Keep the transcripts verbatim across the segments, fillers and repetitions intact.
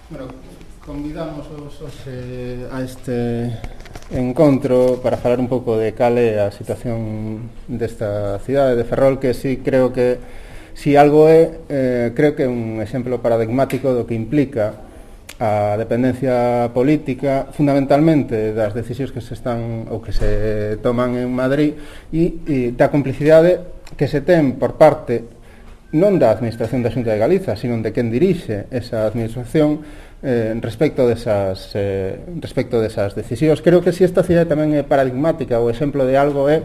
Bueno, convidamos hoxe a este encontro para falar un pouco de cal é a situación desta cidade de Ferrol, que sí creo que si algo é, eh, creo que é un exemplo paradigmático do que implica a dependencia política, fundamentalmente das decisións que se están ou que se toman en Madrid e, e da complicidade que se ten por parte non da administración da Xunta de Galiza, sino de quen dirixe esa administración eh, respecto desas eh, respecto desas decisións. Creo que si esta cidade tamén é paradigmática, o exemplo de algo é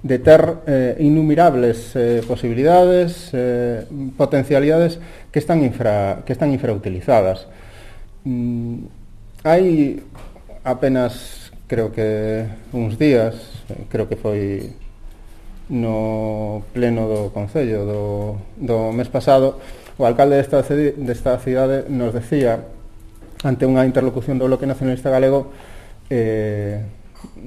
de ter eh, innumerables eh, posibilidades, eh, potencialidades que están infra que están infrautilizadas. Mm, hai apenas, creo que uns días, creo que foi no pleno do Concello do, do mes pasado, o alcalde desta, desta cidade nos decía, ante unha interlocución do Bloque Nacionalista Galego, eh,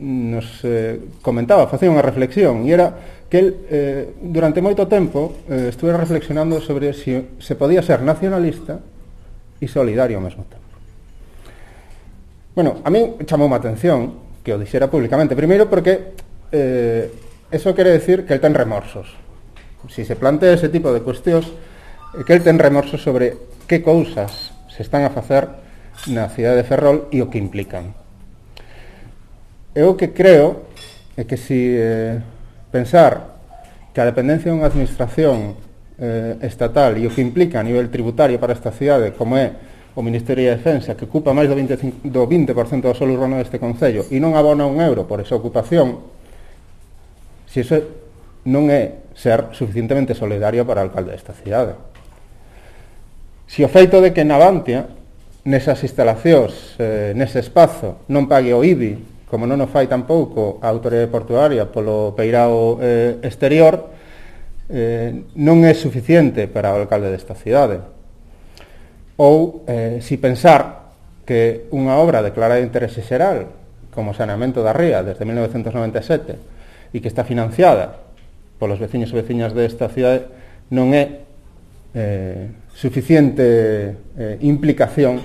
nos eh, comentaba, facía unha reflexión, e era que el, eh, durante moito tempo, eh, estuve reflexionando sobre si se podía ser nacionalista e solidario ao mesmo tempo. Bueno, a mí chamou a atención que o dixera públicamente, primeiro porque eh, eso quere decir que el ten remorsos. Si se plantea ese tipo de cuestións, que el ten remorsos sobre que cousas se están a facer na cidade de Ferrol e o que implican. Eu que creo é que si eh, pensar que a dependencia dunha administración eh, estatal e o que implica a nivel tributario para esta cidade, como é o Ministerio de Defensa, que ocupa máis do vinte por cento do solo urbano deste concello e non abona un euro por esa ocupación, si iso non é ser suficientemente solidario para o alcalde desta cidade. Si o feito de que Navantia, nesas instalacións, eh, nese espazo, non pague o I B I, como non o fai tampouco a autoridade portuaria polo peirao eh, exterior, eh, non é suficiente para o alcalde desta cidade. Ou eh, si pensar que unha obra declarada de interese xeral, como o saneamento da ría desde mil novecentos noventa e sete, e que está financiada polos veciños e veciñas desta cidade, non é eh, suficiente eh, implicación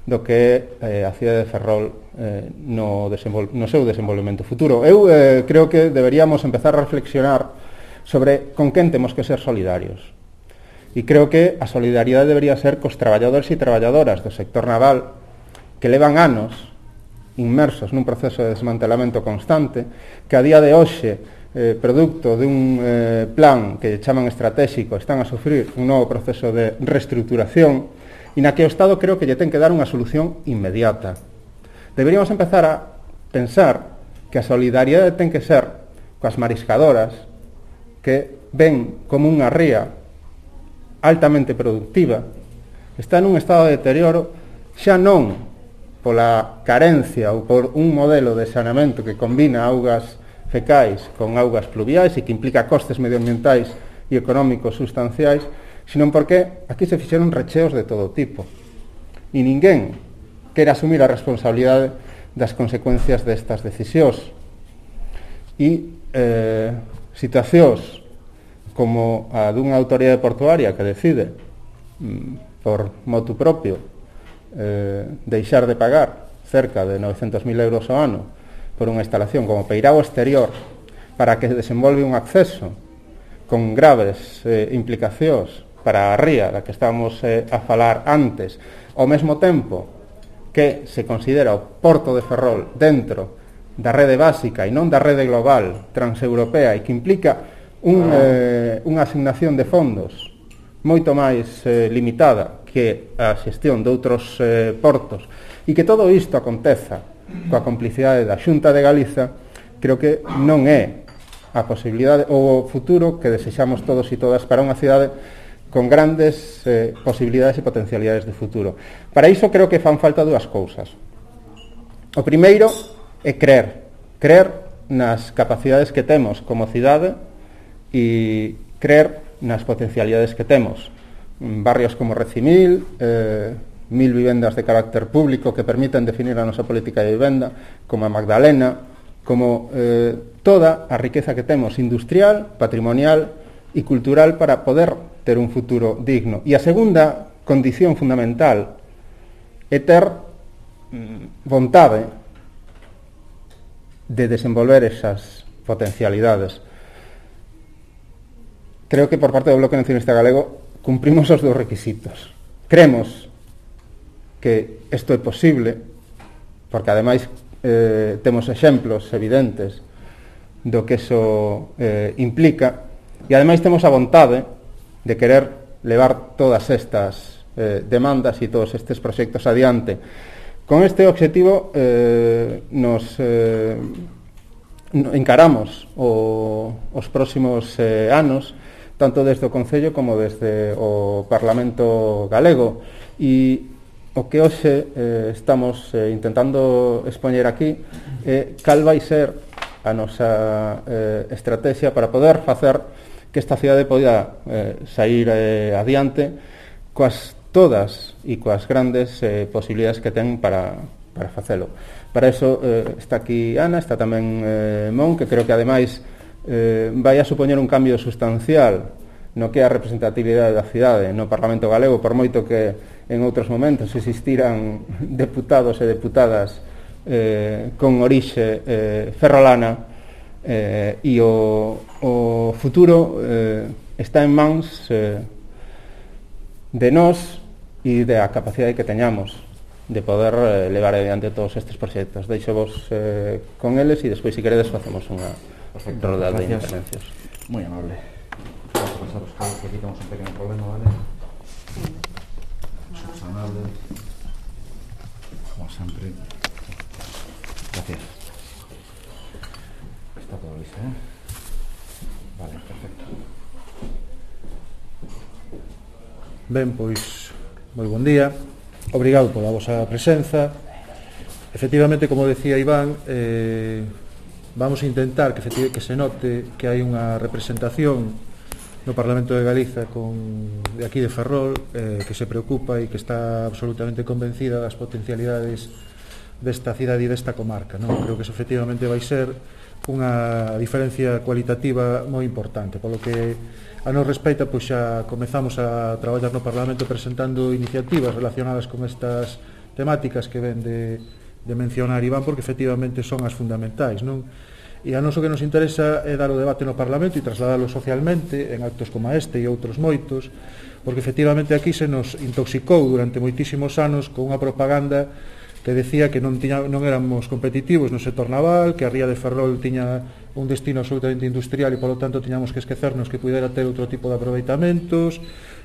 do que é eh, a cidade de Ferrol eh, no, no seu desenvolvemento futuro. Eu eh, creo que deberíamos empezar a reflexionar sobre con quen temos que ser solidarios. E creo que a solidariedade debería ser cos traballadores e traballadoras do sector naval que levan anos inmersos nun proceso de desmantelamento constante, que a día de hoxe, eh, producto dun eh, plan que chaman estratégico, están a sufrir un novo proceso de reestruturación e na que o Estado creo que lle ten que dar unha solución inmediata. Deberíamos empezar a pensar que a solidariedade ten que ser coas mariscadoras que ven como unha ría altamente productiva, está nun estado de deterioro xa non pola carencia ou por un modelo de saneamento que combina augas fecais con augas pluviais e que implica costes medioambientais e económicos sustanciais, sino porque aquí se fixeron recheos de todo tipo e ninguén quere asumir a responsabilidade das consecuencias destas decisións e eh, situacións como a dunha autoridade portuaria que decide mm, por motu propio eh, deixar de pagar cerca de novecentos mil euros ao ano por unha instalación como peirao exterior para que desenvolve un acceso con graves eh, implicacións para a ría da que estábamos eh, a falar antes, ao mesmo tempo que se considera o Porto de Ferrol dentro da rede básica e non da rede global transeuropea e que implica un, eh, unha asignación de fondos moito máis eh, limitada que a xestión de outros eh, portos e que todo isto aconteza coa complicidade da Xunta de Galiza, creo que non é a posibilidade ou o futuro que desexamos todos e todas para unha cidade con grandes eh, posibilidades e potencialidades de futuro. Para iso creo que fan falta dúas cousas. O primeiro é crer, crer nas capacidades que temos como cidade e creer nas potencialidades que temos. Barrios como Recimil, eh, mil vivendas de carácter público que permiten definir a nosa política de vivenda, como a Magdalena, como eh, toda a riqueza que temos industrial, patrimonial e cultural para poder ter un futuro digno. E a segunda condición fundamental e ter mm, vontade de desenvolver esas potencialidades. Creo que por parte do Bloque Nacionalista Galego cumprimos os dos requisitos. Cremos que isto é posible, porque ademais eh, temos exemplos evidentes do que eso eh, implica, e ademais temos a vontade de querer levar todas estas eh, demandas e todos estes proxectos adiante. Con este obxectivo eh, nos eh, encaramos o, os próximos eh, anos, tanto desde o Concello como desde o Parlamento Galego, e o que hoxe eh, estamos eh, intentando expoñer aquí é eh, cal vai ser a nosa eh, estrategia para poder facer que esta cidade poida eh, sair eh, adiante coas todas e coas grandes eh, posibilidades que ten para, para facelo. Para eso eh, está aquí Ana, está tamén eh, Mon, que creo que ademais eh, vai a supoñer un cambio sustancial no que é a representatividade da cidade no Parlamento Galego, por moito que en outros momentos existiran deputados e deputadas eh, con orixe eh, ferrolana, eh, e o, o futuro eh, está en mans eh, de nós e da capacidade que teñamos de poder eh, levar adiante todos estes proxectos. Deixo vos eh, con eles e despois, se queredes, facemos unha roda de intervencións. Moi amable. Vamos a pasar os casos, que aquí temos un pequeno problema, vale? Subsanable. Como sempre. Gracias. Está todo listo, eh? Vale, perfecto. Ben, pois, moi bon día. Obrigado pola vosa presenza. Efectivamente, como decía Iván, eh, vamos a intentar que, que se note que hai unha representación no Parlamento de Galiza con, de aquí de Ferrol, eh, que se preocupa e que está absolutamente convencida das potencialidades desta cidade e desta comarca, non? Creo que eso efectivamente vai ser unha diferencia cualitativa moi importante, polo que a nos respeita, pois xa comezamos a traballar no Parlamento presentando iniciativas relacionadas con estas temáticas que ven de, de mencionar Iván, porque efectivamente son as fundamentais, non? E a nos o que nos interesa é dar o debate no Parlamento e trasladalo socialmente en actos como este e outros moitos, porque efectivamente aquí se nos intoxicou durante moitísimos anos con unha propaganda que decía que non, tiña, non éramos competitivos no sector naval, que a ría de Ferrol tiña un destino absolutamente industrial e, polo tanto, tiñamos que esquecernos que pudera ter outro tipo de aproveitamentos,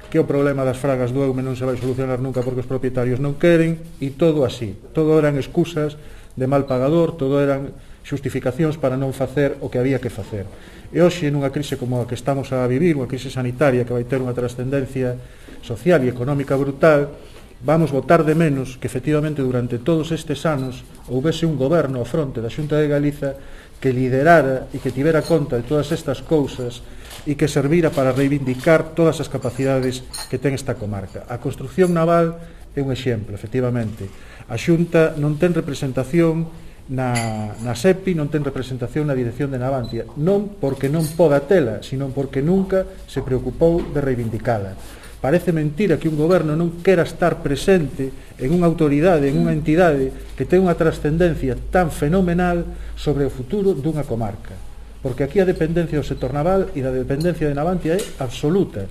que o problema das fragas do Eume non se vai solucionar nunca porque os propietarios non queren, e todo así. Todo eran excusas de mal pagador, todo eran xustificacións para non facer o que había que facer. E hoxe, nunha crise como a que estamos a vivir, unha crise sanitaria que vai ter unha trascendencia social e económica brutal, vamos votar de menos que efectivamente durante todos estes anos houvese un goberno ao fronte da Xunta de Galiza que liderara e que tivera conta de todas estas cousas e que servira para reivindicar todas as capacidades que ten esta comarca. A construción naval é un exemplo, efectivamente. A Xunta non ten representación na, na SEPI, non ten representación na dirección de Navantia, non porque non poda tela, sino porque nunca se preocupou de reivindicala. Parece mentira que un goberno non quera estar presente en unha autoridade, en unha entidade que ten unha trascendencia tan fenomenal sobre o futuro dunha comarca. Porque aquí a dependencia do sector naval e da dependencia de Navantia é absoluta.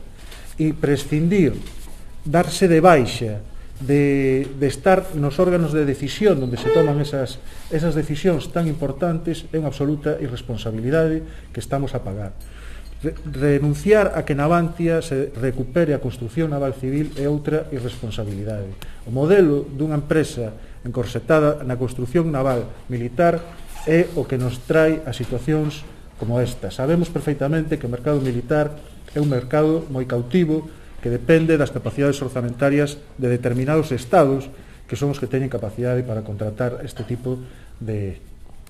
E prescindir, darse de baixa, de, de estar nos órganos de decisión onde se toman esas, esas decisións tan importantes é unha absoluta irresponsabilidade que estamos a pagar. Renunciar a que Navantia se recupere a construción naval civil é outra irresponsabilidade. O modelo dunha empresa encorsetada na construción naval militar é o que nos trae a situacións como esta. Sabemos perfeitamente que o mercado militar é un mercado moi cautivo que depende das capacidades orzamentarias de determinados estados que son os que teñen capacidade para contratar este tipo de,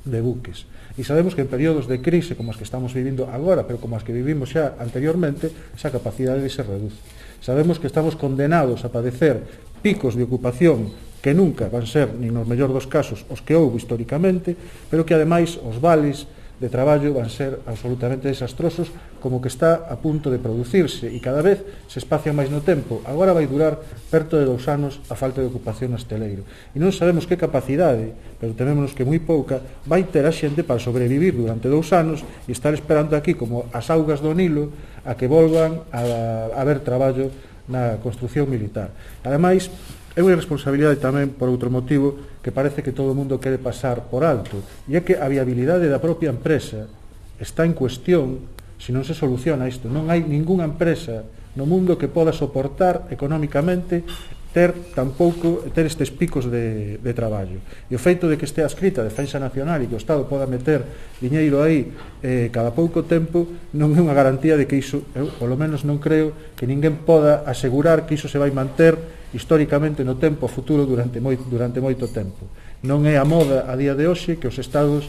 de buques. E sabemos que en períodos de crise como as que estamos vivindo agora, pero como as que vivimos xa anteriormente, esa capacidade se reduce. Sabemos que estamos condenados a padecer picos de ocupación que nunca van ser, nin nos mellor dos casos, os que houve históricamente, pero que ademais os vales de traballo van ser absolutamente desastrosos, como que está a punto de producirse e cada vez se espacia máis no tempo. Agora vai durar perto de dous anos a falta de ocupación no hosteleiro. E non sabemos que capacidade, pero tememos que moi pouca, vai ter a xente para sobrevivir durante dous anos e estar esperando aquí como as augas do Nilo a que volvan a, a haber traballo na construción militar. Ademais, é unha responsabilidade tamén por outro motivo que parece que todo o mundo quere pasar por alto, e é que a viabilidade da propia empresa está en cuestión se non se soluciona isto. Non hai ningunha empresa no mundo que poda soportar económicamente ter tampouco ter estes picos de, de traballo. E o feito de que estea escrita a Defensa Nacional e que o Estado poda meter diñeiro aí eh, cada pouco tempo non é unha garantía de que iso, eu polo menos non creo que ninguén poda asegurar que iso se vai manter históricamente no tempo futuro durante, moi, durante moito tempo. Non é a moda a día de hoxe que os Estados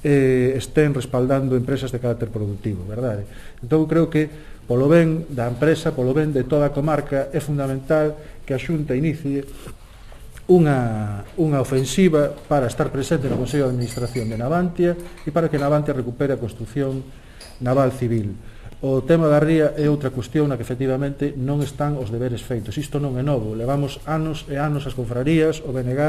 eh, estén respaldando empresas de carácter productivo, verdade? Entón creo que polo ben da empresa, polo ben de toda a comarca, é fundamental que a Xunta inicie unha, unha ofensiva para estar presente no Consello de Administración de Navantia e para que Navantia recupere a construción naval civil. O tema da ría é outra cuestión na que efectivamente non están os deberes feitos. Isto non é novo. Levamos anos e anos as confrarías, o B N G,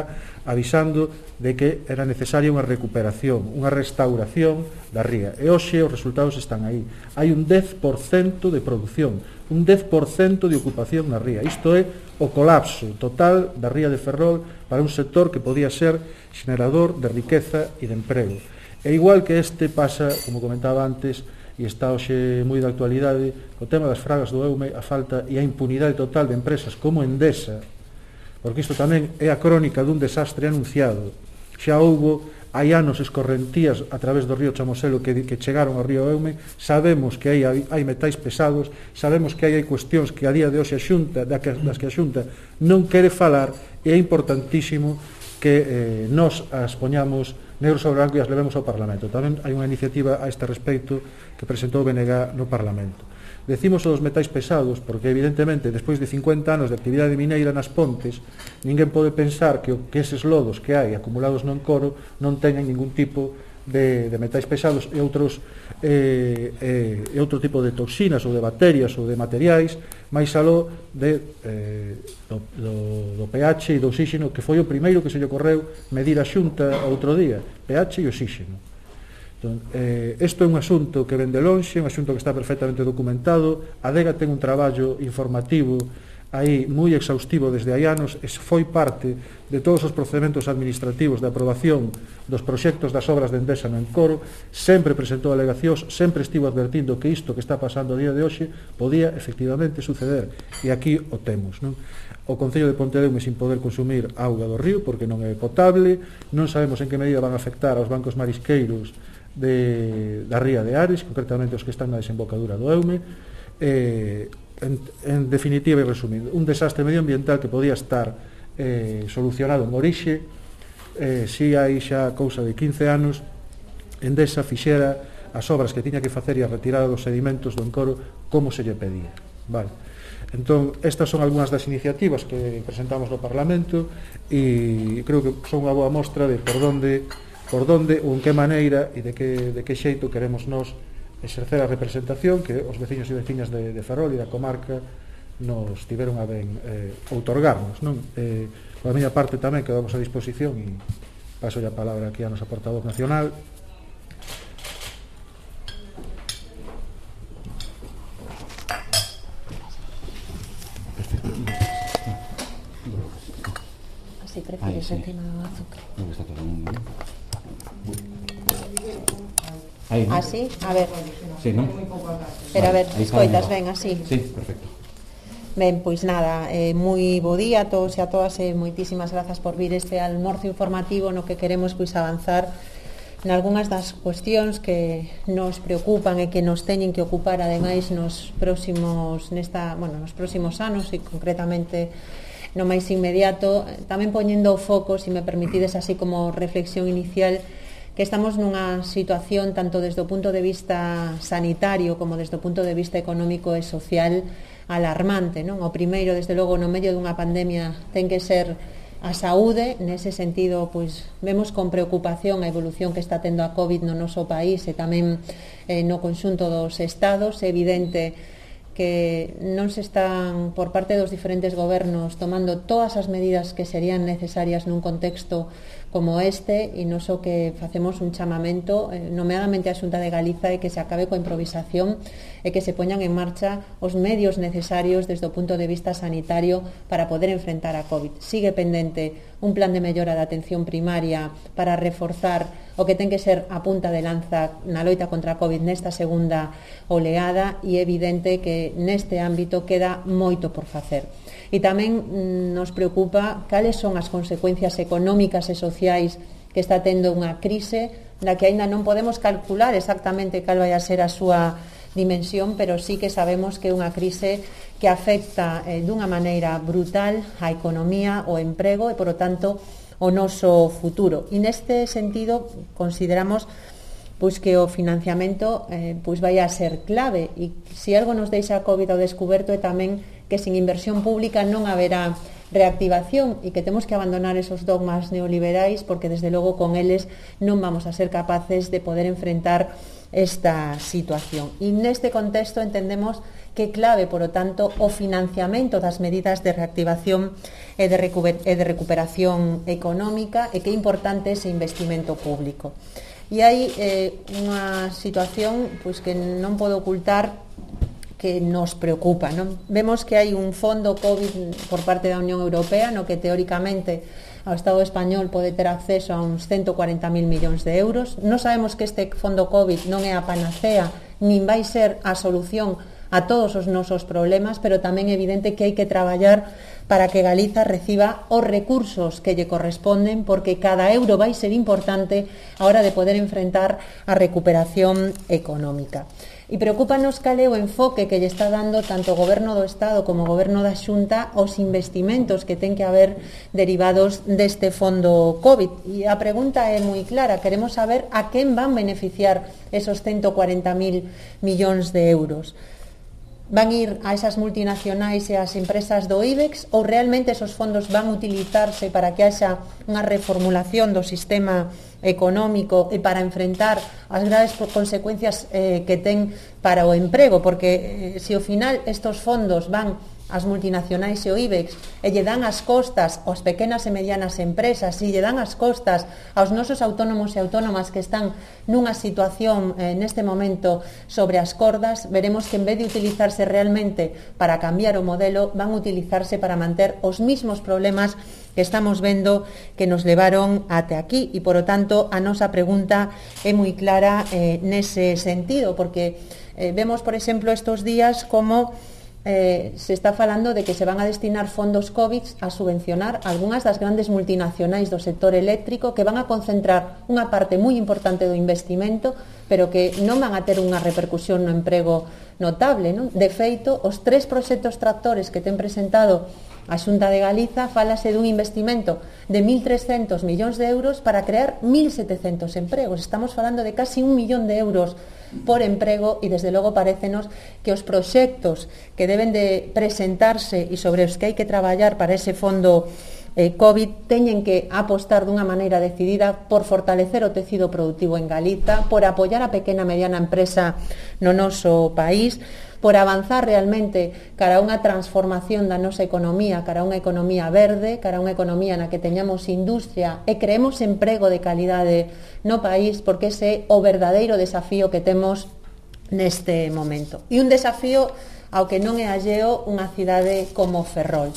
avisando de que era necesaria unha recuperación, unha restauración da ría. E hoxe os resultados están aí. Hai un dez por cento de produción, un dez por cento de ocupación na ría. Isto é o colapso total da ría de Ferrol para un sector que podía ser xenerador de riqueza e de emprego. E igual que este pasa, como comentaba antes, e está hoxe moi de actualidade, o tema das fragas do Eume, a falta e a impunidade total de empresas como Endesa, porque isto tamén é a crónica dun desastre anunciado. Xa houbo hai anos escorrentías a través do río Chamoselo que, que chegaron ao río Eume. Sabemos que hai, hai metais pesados, sabemos que hai, hai cuestións que a día de hoxe a Xunta, das que a Xunta non quere falar, e é importantísimo que eh, nos as poñamos negro sobre branco e as levemos ao Parlamento. Tamén hai unha iniciativa a este respecto que presentou o B N G no Parlamento. Decimos o dos metais pesados porque evidentemente despois de cincuenta anos de actividade mineira nas pontes ninguén pode pensar que, o, que eses lodos que hai acumulados no encoro non teñan ningún tipo de, de metais pesados e outros eh, eh, e outro tipo de toxinas ou de bacterias ou de materiais máis aló de, eh, do, do, do pH e do oxígeno, que foi o primeiro que se lle ocorreu medir a Xunta outro día, pH e oxígeno. Entón, eh, isto é un asunto que ven de lonxe, un asunto que está perfectamente documentado. A Adega ten un traballo informativo aí moi exhaustivo desde hai anos, e foi parte de todos os procedementos administrativos de aprobación dos proxectos das obras de Endesa no encoro. Sempre presentou alegacións, sempre estivo advertindo que isto que está pasando a día de hoxe podía efectivamente suceder, e aquí o temos, non? O Concello de Pontedeume sin poder consumir auga do río porque non é potable, non sabemos en que medida van a afectar aos bancos marisqueiros de, da ría de Ares, concretamente os que están na desembocadura do Eume. eh, en, en definitiva e resumindo, un desastre medioambiental que podía estar eh, solucionado en orixe eh, si hai xa cousa de quince anos Endesa fixera as obras que tiña que facer e a retirada dos sedimentos do encoro como se lle pedía, vale? Entón, estas son algunhas das iniciativas que presentamos no Parlamento e creo que son unha boa mostra de por donde por donde ou en que maneira e de que, de que xeito queremos nós exercer a representación que os veciños e veciñas de, de Ferrol e da comarca nos tiveron a ben eh, outorgarnos, non? Eh, por a miña parte tamén quedamos a disposición e paso a palabra aquí a nosa portavoz nacional. Así prefieres encima do azúcar. No, está todo mundo, ¿no? Ahí, ¿no? Así, a ver. Sí, ¿no? Pero a ver, Ahí está escoitas, bien. ven, así. Sí, perfecto. Ben, pois nada, eh, moi bo día a todos e a todas e moitísimas grazas por vir este almorzo informativo no que queremos pois avanzar nalgúnas das cuestións que nos preocupan e que nos teñen que ocupar ademais nos próximos nesta, bueno, nos próximos anos e concretamente no máis inmediato, tamén poñendo o foco, se me permitides así como reflexión inicial, que estamos nunha situación tanto desde o punto de vista sanitario como desde o punto de vista económico e social alarmante, non? O primeiro, desde logo, no medio dunha pandemia ten que ser a saúde. Nese sentido, pois, vemos con preocupación a evolución que está tendo a COVID no noso país e tamén eh, no conxunto dos estados. É evidente que non se están, por parte dos diferentes gobernos, tomando todas as medidas que serían necesarias nun contexto como este, e non só que facemos un chamamento, eh, nomeadamente a Xunta de Galiza, e que se acabe coa improvisación e que se poñan en marcha os medios necesarios desde o punto de vista sanitario para poder enfrentar a COVID. Sigue pendente un plan de mellora da atención primaria para reforzar o que ten que ser a punta de lanza na loita contra a COVID nesta segunda oleada, e é evidente que neste ámbito queda moito por facer. E tamén nos preocupa cales son as consecuencias económicas e sociais que está tendo unha crise na que aínda non podemos calcular exactamente cal vai a ser a súa dimensión, pero sí que sabemos que é unha crise que afecta eh, dunha maneira brutal a economía, o emprego e, por lo tanto, o noso futuro. E neste sentido consideramos pois que o financiamento eh, pois vai a ser clave, e se algo nos deixa a COVID ao descoberto é tamén que sin inversión pública non haberá reactivación, e que temos que abandonar esos dogmas neoliberais, porque desde logo con eles non vamos a ser capaces de poder enfrentar esta situación. E neste contexto entendemos que é clave, por lo tanto, o financiamento das medidas de reactivación e de, recuper- e de recuperación económica, e que é importante ese investimento público. E hai eh, unha situación pois, que non podo ocultar, que nos preocupa, non? Vemos que hai un fondo COVID por parte da Unión Europea no que teóricamente o Estado español pode ter acceso a uns ciento cuarenta mil millóns de euros. Non sabemos que este fondo COVID non é a panacea, nin vai ser a solución a todos os nosos problemas, pero tamén é evidente que hai que traballar para que Galiza reciba os recursos que lle corresponden, porque cada euro vai ser importante a hora de poder enfrentar a recuperación económica. E preocúpanos cal é o enfoque que lle está dando tanto o Goberno do Estado como o Goberno da Xunta aos investimentos que ten que haber derivados deste fondo COVID. E a pregunta é moi clara, queremos saber a quen van beneficiar esos ciento cuarenta mil millóns de euros. Van ir a esas multinacionais e ás empresas do IBEX, ou realmente esos fondos van utilizarse para que haxa unha reformulación do sistema económico e para enfrentar as graves consecuencias eh, que ten para o emprego, porque eh, se ao final estos fondos van ás multinacionais e o IBEX e lle dan as costas aos pequenas e medianas empresas, e lle dan as costas aos nosos autónomos e autónomas que están nunha situación eh, neste momento sobre as cordas, veremos que en vez de utilizarse realmente para cambiar o modelo, van a utilizarse para manter os mismos problemas que estamos vendo que nos levaron até aquí. E, por lo tanto, a nosa pregunta é moi clara eh, nese sentido, porque eh, vemos, por exemplo, estos días como Eh, se está falando de que se van a destinar fondos COVID a subvencionar algunhas das grandes multinacionais do sector eléctrico, que van a concentrar unha parte moi importante do investimento, pero que non van a ter unha repercusión no emprego notable, non? De feito, os tres proxectos tractores que ten presentado a Xunta de Galiza, fálase dun investimento de mil trescentos millóns de euros para crear mil setecentos empregos. Estamos falando de casi un millón de euros por emprego, e desde logo parécenos que os proxectos que deben de presentarse e sobre os que hai que traballar para ese fondo eh, COVID teñen que apostar dunha maneira decidida por fortalecer o tecido productivo en Galiza, por apoiar a pequena e mediana empresa no noso país, por avanzar realmente cara a unha transformación da nosa economía, cara a unha economía verde, cara a unha economía na que teñamos industria e creemos emprego de calidade no país, porque ese é o verdadeiro desafío que temos neste momento. E un desafío ao que non é alleo unha cidade como Ferrol.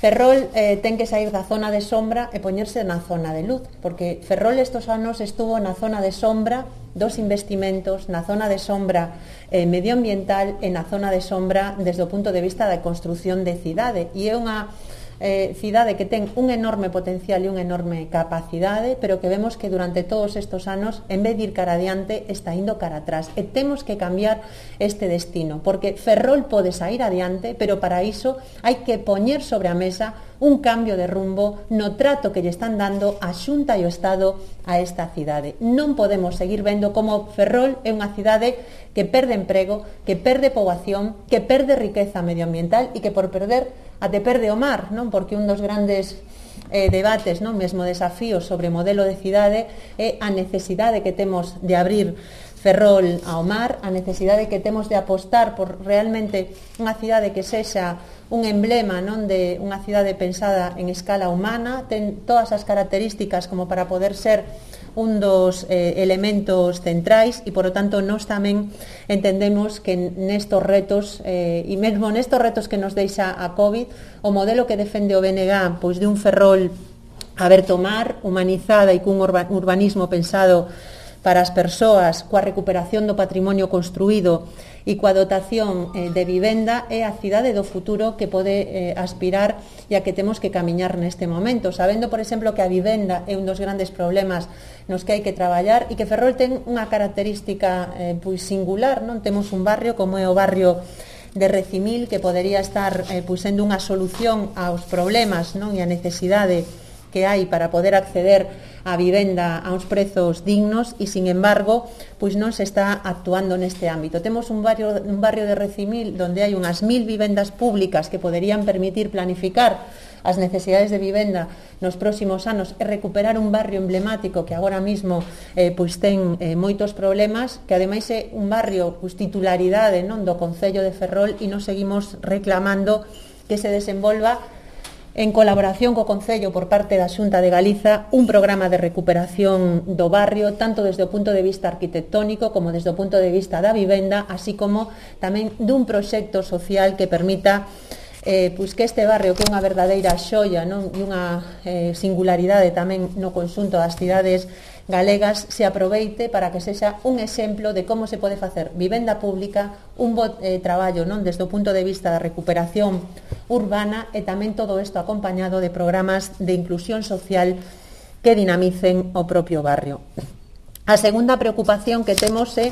Ferrol eh, ten que sair da zona de sombra e poñerse na zona de luz, porque Ferrol estos anos estuvo na zona de sombra dos investimentos, na zona de sombra eh, medioambiental e na zona de sombra desde o punto de vista da construción de cidade. E é unha eh, cidade que ten un enorme potencial e unha enorme capacidade, pero que vemos que durante todos estes anos, en vez de ir cara adiante, está indo cara atrás. E temos que cambiar este destino, porque Ferrol pode sair adiante, pero para iso hai que poñer sobre a mesa un cambio de rumbo no trato que lle están dando a Xunta e o Estado a esta cidade. Non podemos seguir vendo como Ferrol é unha cidade que perde emprego, que perde poboación, que perde riqueza medioambiental e que por perder até perde o mar, non? Porque un dos grandes eh, debates, non? Mesmo desafíos sobre modelo de cidade é a necesidade que temos de abrir Ferrol ao mar, a necesidade que temos de apostar por realmente unha cidade que sexa un emblema, non, de unha cidade pensada en escala humana, ten todas as características como para poder ser un dos eh, elementos centrais e, por lo tanto, nós tamén entendemos que nestos retos eh, e mesmo nestos retos que nos deixa a COVID, o modelo que defende o B N G, pois de un Ferrol aberto ao mar, humanizada e cun urbanismo pensado para as persoas, coa recuperación do patrimonio construído e coa dotación eh, de vivenda, é a cidade do futuro que pode eh, aspirar e a que temos que camiñar neste momento, sabendo, por exemplo, que a vivenda é un dos grandes problemas nos que hai que traballar e que Ferrol ten unha característica eh, pois singular, non? Temos un barrio como é o barrio de Recimil que podería estar eh, pois sendo unha solución aos problemas, non? E a necesidade que hai para poder acceder a vivenda a uns prezos dignos e, sin embargo, pois non se está actuando neste ámbito. Temos un barrio, un barrio de Recimil onde hai unhas mil vivendas públicas que poderían permitir planificar as necesidades de vivenda nos próximos anos e recuperar un barrio emblemático que agora mismo eh, pois ten eh, moitos problemas, que ademais é un barrio pois, titularidade, non, do Concello de Ferrol, e nos seguimos reclamando que se desenvolva en colaboración co Concello por parte da Xunta de Galiza un programa de recuperación do barrio, tanto desde o punto de vista arquitectónico como desde o punto de vista da vivenda, así como tamén dun proxecto social que permita eh, pois que este barrio, que é unha verdadeira xoia, non? E unha eh, singularidade tamén no conxunto das cidades galegas, se aproveite para que sexa un exemplo de como se pode facer vivenda pública, un bo eh, traballo, non, desde o punto de vista da recuperación urbana, e tamén todo isto acompañado de programas de inclusión social que dinamicen o propio barrio. A segunda preocupación que temos é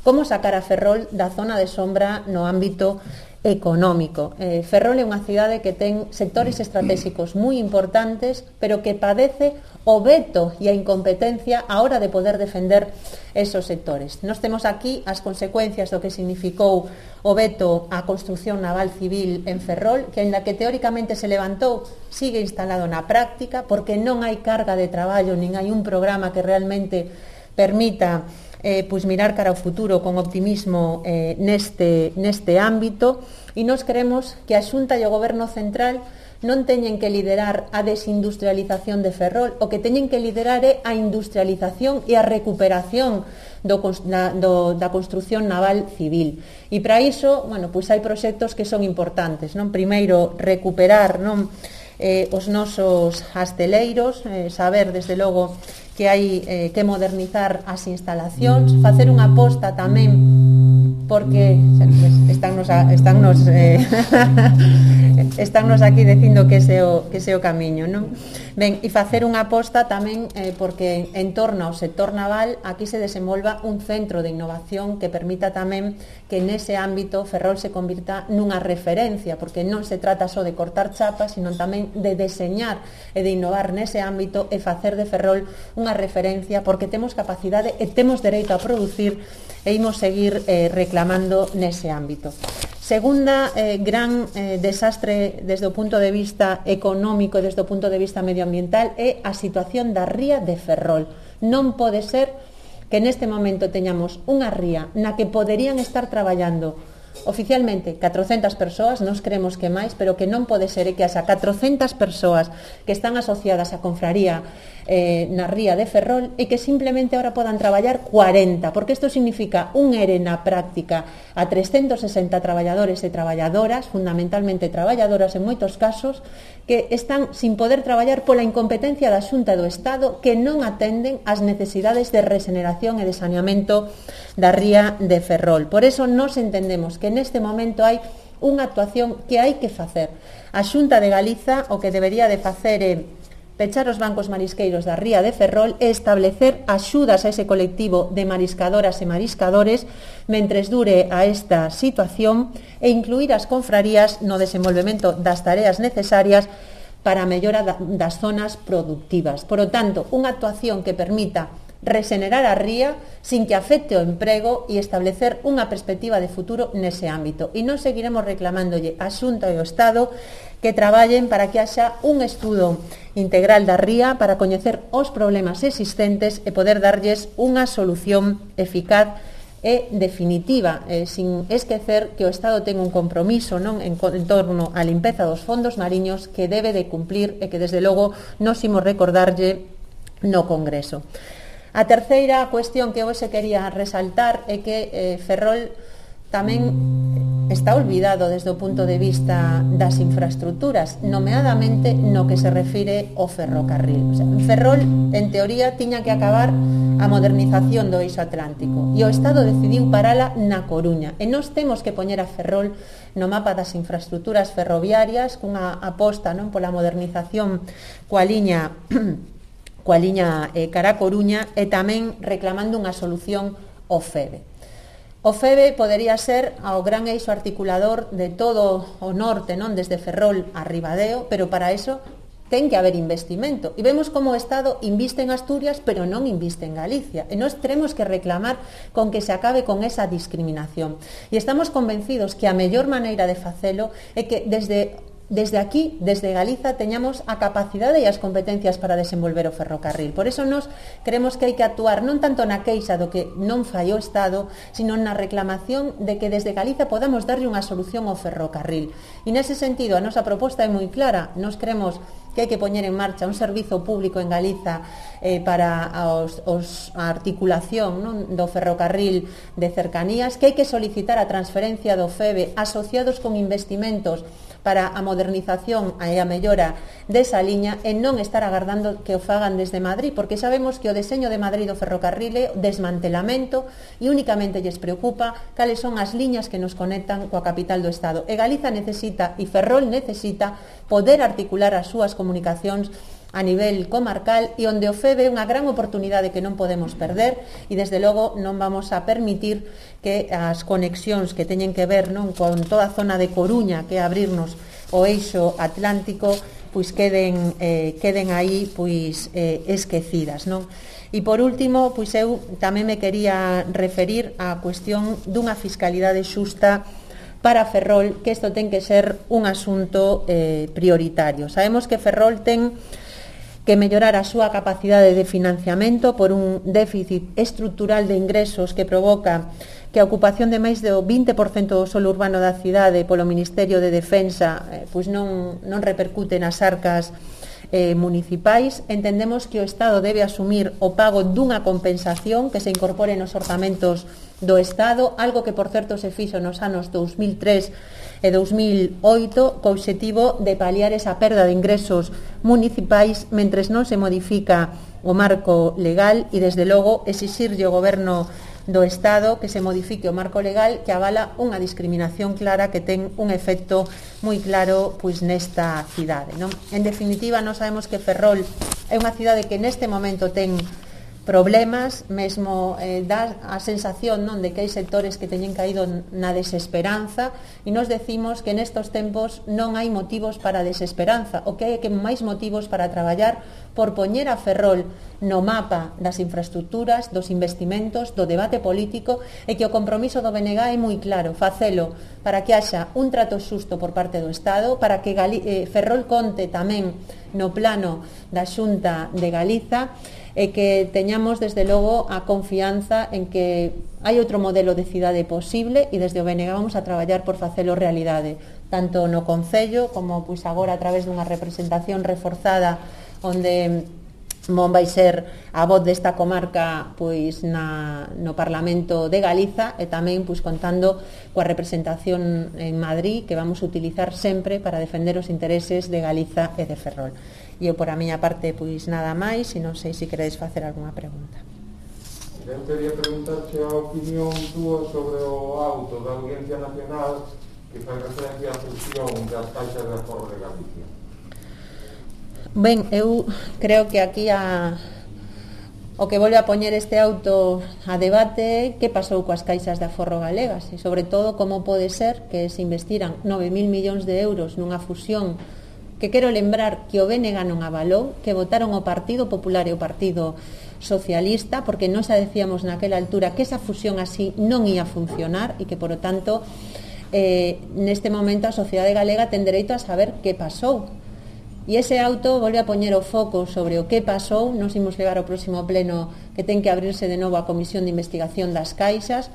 como sacar a Ferrol da zona de sombra no ámbito económico. Eh, Ferrol é unha cidade que ten sectores estratégicos moi importantes, pero que padece o veto e a incompetencia a hora de poder defender esos sectores. Nós temos aquí as consecuencias do que significou o veto á construción naval civil en Ferrol, que aínda que teóricamente se levantou, sigue instalado na práctica, porque non hai carga de traballo, nin hai un programa que realmente permita Eh, pois mirar cara ao futuro con optimismo eh, neste, neste ámbito, e nós queremos que a Xunta e o Goberno Central non teñen que liderar a desindustrialización de Ferrol, o que teñen que liderar é a industrialización e a recuperación do, da, do, da construción naval civil. E para iso, bueno, pois hai proxectos que son importantes, non? Primeiro, recuperar, non, eh, os nosos asteleiros, eh, saber, desde logo, que hai eh, que modernizar as instalacións, facer unha aposta tamén, porque estánnos, a, estánnos, eh, estánnos aquí dicindo que ese o, que ese o camiño, non? Ben, e facer unha aposta tamén eh, porque en torno ao sector naval aquí se desenvolva un centro de innovación que permita tamén que nese ámbito Ferrol se convirta nunha referencia, porque non se trata só de cortar chapas, sino tamén de deseñar e de innovar nese ámbito e facer de Ferrol unha referencia, porque temos capacidade e temos dereito a producir e imos seguir eh, reclamando nese ámbito. Segunda eh, gran eh, desastre desde o punto de vista económico e desde o punto de vista medioambiental é a situación da ría de Ferrol. Non pode ser que neste momento teñamos unha ría na que poderían estar traballando oficialmente catrocentas persoas, nos creemos que máis, pero que non pode ser que as catrocentas persoas que están asociadas á confraría eh, na ría de Ferrol e que simplemente ahora podan traballar cuarenta, porque isto significa un ERE na práctica a trescentos sesenta traballadores e traballadoras, fundamentalmente traballadoras en moitos casos, que están sin poder traballar pola incompetencia da Xunta do Estado, que non atenden as necesidades de regeneración e de saneamento da ría de Ferrol. Por eso nos entendemos que neste momento hai unha actuación que hai que facer. A Xunta de Galiza o que debería de facer é pechar os bancos marisqueiros da ría de Ferrol e establecer axudas a ese colectivo de mariscadoras e mariscadores mentres dure a esta situación e incluir as confrarías no desenvolvemento das tareas necesarias para a mellora das zonas productivas. Por lo tanto, unha actuación que permita resenerar a ría sin que afecte o emprego e establecer unha perspectiva de futuro nese ámbito. E non seguiremos reclamándolle a Xunta e o Estado que traballen para que haxa un estudo integral da ría para coñecer os problemas existentes e poder darlles unha solución eficaz e definitiva, eh, sin esquecer que o Estado ten un compromiso non en, en torno á limpeza dos fondos mariños que debe de cumplir e que desde logo nos imos recordarlle no Congreso. A terceira cuestión que hoxe quería resaltar é que eh, Ferrol tamén está olvidado desde o punto de vista das infraestructuras, nomeadamente no que se refire ao ferrocarril. O sea, Ferrol, en teoría, tiña que acabar a modernización do eixo atlántico e o Estado decidiu parala na Coruña. E nós temos que poñer a Ferrol no mapa das infraestructuras ferroviarias cunha aposta non pola modernización coa liña coa liña eh, cara a Coruña e tamén reclamando unha solución ao F E B E. O F E B E podería ser ao gran eixo articulador de todo o norte, non desde Ferrol a Ribadeo, pero para eso ten que haber investimento. E vemos como o Estado inviste en Asturias, pero non inviste en Galicia. E nós teremos que reclamar con que se acabe con esa discriminación. E estamos convencidos que a mellor maneira de facelo é que desde Desde aquí, desde Galiza, teñamos a capacidade e as competencias para desenvolver o ferrocarril. Por eso nos creemos que hai que actuar non tanto na queixa do que non fai o Estado, sino na reclamación de que desde Galiza podamos darlle unha solución ao ferrocarril. E nese sentido, a nosa proposta é moi clara. Nos creemos que hai que poñer en marcha un servizo público en Galiza eh, para os, os, a articulación non, do ferrocarril de cercanías, que hai que solicitar a transferencia do F E B E asociados con investimentos para a modernización e a mellora desa liña e non estar agardando que o fagan desde Madrid, porque sabemos que o deseño de Madrid do ferrocarril é o desmantelamento e únicamente lles preocupa cales son as liñas que nos conectan coa capital do Estado. E Galiza necesita, e Ferrol necesita, poder articular as súas comunicacións a nivel comarcal e onde o F E B é unha gran oportunidade que non podemos perder e desde logo non vamos a permitir que as conexións que teñen que ver non con toda a zona de Coruña, que é abrirnos o eixo atlántico, pois queden, eh, queden aí pois eh, esquecidas, non? E por último, pois eu tamén me quería referir á cuestión dunha fiscalidade xusta para Ferrol, que isto ten que ser un asunto eh, prioritario. Sabemos que Ferrol ten que mellorar a súa capacidade de financiamento por un déficit estrutural de ingresos que provoca que a ocupación de máis do vinte por cento do solo urbano da cidade polo Ministerio de Defensa eh, pois non, non repercute nas arcas eh, municipais. Entendemos que o Estado debe asumir o pago dunha compensación que se incorpore nos orzamentos do Estado, algo que por certo se fixo nos anos dous mil tres e dous mil oito co obxectivo de paliar esa perda de ingresos municipais mentres non se modifica o marco legal e desde logo exixirlle ao Goberno do Estado que se modifique o marco legal que avala unha discriminación clara que ten un efecto moi claro pois nesta cidade, non? En definitiva, nós sabemos que Ferrol é unha cidade que neste momento ten problemas, mesmo eh, dá a sensación non de que hai sectores que teñen caído na desesperanza e nos decimos que nestos tempos non hai motivos para a desesperanza, o que hai que máis motivos para traballar por poñer a Ferrol no mapa das infraestructuras, dos investimentos, do debate político e que o compromiso do B N G é moi claro, facelo para que haxa un trato xusto por parte do Estado, para que Gali eh, Ferrol conte tamén no plano da Xunta de Galiza e que teñamos desde logo a confianza en que hai outro modelo de cidade posible e desde o B N G vamos a traballar por facelo realidade, tanto no Concello como pois agora a través dunha representación reforzada onde mon vai ser a voz desta comarca pois na, no Parlamento de Galiza e tamén pois contando coa representación en Madrid que vamos a utilizar sempre para defender os intereses de Galiza e de Ferrol. E eu por a miña parte pois nada máis e non sei se queredes facer algunha pregunta. Eu quería preguntarche a opinión túa sobre o auto da Audiencia Nacional que fai referencia á fusión das caixas de aforro de Galicia. Ben, eu creo que aquí a, o que volve a poñer este auto a debate é que pasou coas caixas de aforro galegas e sobre todo como pode ser que se investiran nove mil millóns de euros nunha fusión que quero lembrar que o B N G non avalou, que votaron o Partido Popular e o Partido Socialista, porque non xa decíamos naquela altura que esa fusión así non ia funcionar e que, por lo tanto, eh, neste momento a sociedade galega ten dereito a saber que pasou. E ese auto volve a poñer o foco sobre o que pasou. Nos imos levar ao próximo pleno que ten que abrirse de novo a Comisión de Investigación das Caixas,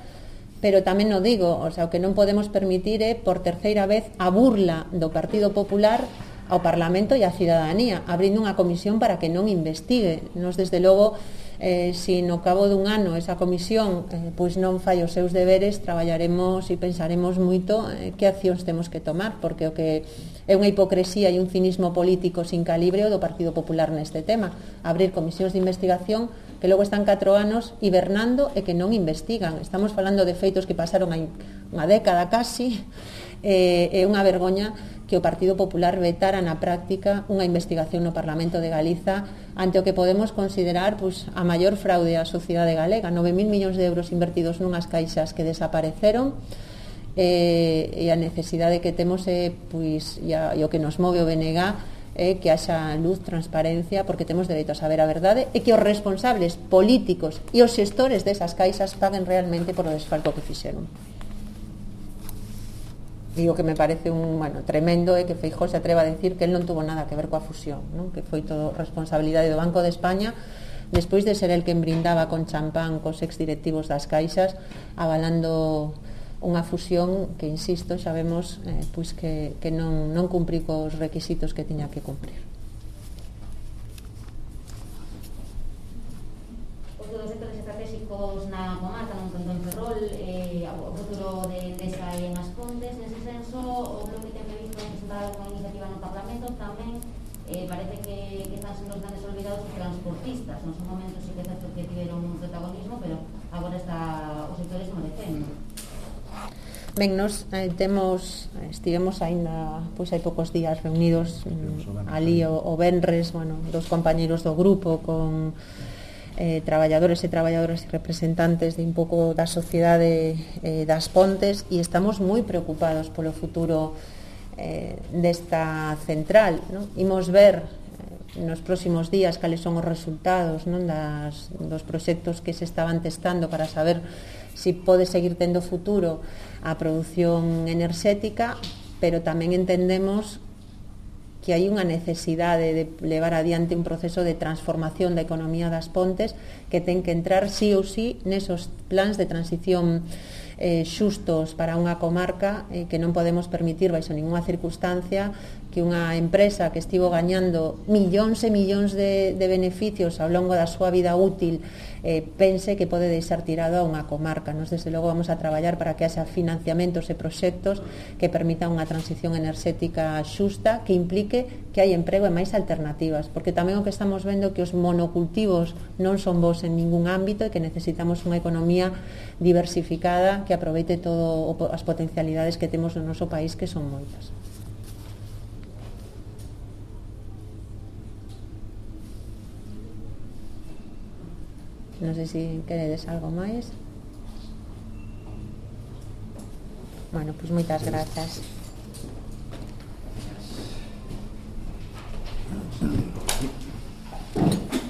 pero tamén o digo, o sea, o que non podemos permitir é, por terceira vez, a burla do Partido Popular ao Parlamento e á cidadanía, abrindo unha comisión para que non investigue. Nos, desde logo, eh, si no cabo dun ano esa comisión eh, pois non fai os seus deberes, traballaremos e pensaremos moito eh, que accións temos que tomar, porque o que é unha hipocresía e un cinismo político sin calibre o do Partido Popular neste tema, abrir comisións de investigación que logo están catro anos hibernando e que non investigan. Estamos falando de feitos que pasaron hai unha década casi, e é unha vergoña que o Partido Popular vetara na práctica unha investigación no Parlamento de Galiza ante o que podemos considerar pois, a maior fraude á sociedade galega, nove mil millóns de euros invertidos nunhas caixas que desapareceron, e, e a necesidade que temos é, pois, e, a, e o que nos move o B N G é que haxa luz, transparencia, porque temos dereito a saber a verdade e que os responsables políticos e os xestores desas caixas paguen realmente por o desfalco que fixeron. E o que me parece un, bueno, tremendo é que Feijóo se atreva a decir que el non tuvo nada que ver coa fusión, non? Que foi todo responsabilidade do Banco de España, despois de ser el que brindaba con champán cos exdirectivos das caixas, avalando unha fusión que, insisto, xa vemos eh, pois que, que non, non cumprí cos requisitos que tiña que cumprir. Os dos sectores estratégicos na comarca, non tanto en Ferrol, eh, o futuro de Endesa e en As Pontes, nese senso, o bloque ten previsto presentar unha iniciativa no Parlamento, tamén eh, parece que, que están sendo os grandes olvidados os transportistas. Non son momentos sí que é certo que tiveron un protagonismo, pero agora está os sectores merecendo. Ben, nos eh, temos, estivemos aínda, pois hai poucos días reunidos mm, ali o, o Benres, bueno, dos compañeiros do grupo con eh, traballadores e traballadoras e representantes de un pouco da sociedade eh, das Pontes, e estamos moi preocupados polo futuro eh, desta central, non? Imos ver eh, nos próximos días cales son os resultados, non, das, dos proxectos que se estaban testando para saber si pode seguir tendo futuro a produción enerxética, pero tamén entendemos que hai unha necesidade de levar adiante un proceso de transformación da economía das Pontes que ten que entrar sí ou sí nesos plans de transición eh, xustos para unha comarca eh, que non podemos permitir baixo ninguna circunstancia que unha empresa que estivo gañando millóns e millóns de, de beneficios ao longo da súa vida útil eh, pense que pode deixar tirado a unha comarca. Nos, desde logo, vamos a traballar para que haxa financiamentos e proxectos que permitan unha transición enerxética xusta que implique que hai emprego e máis alternativas, porque tamén o que estamos vendo é que os monocultivos non son bons en ningún ámbito e que necesitamos unha economía diversificada que aproveite todo as potencialidades que temos no noso país, que son moitas. Non sei se queredes algo máis. Bueno, pois moitas grazas.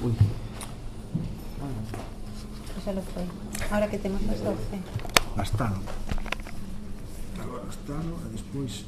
Uy. Xa lo foi. Ahora que temos as doce. Astano. Agora Astano e despois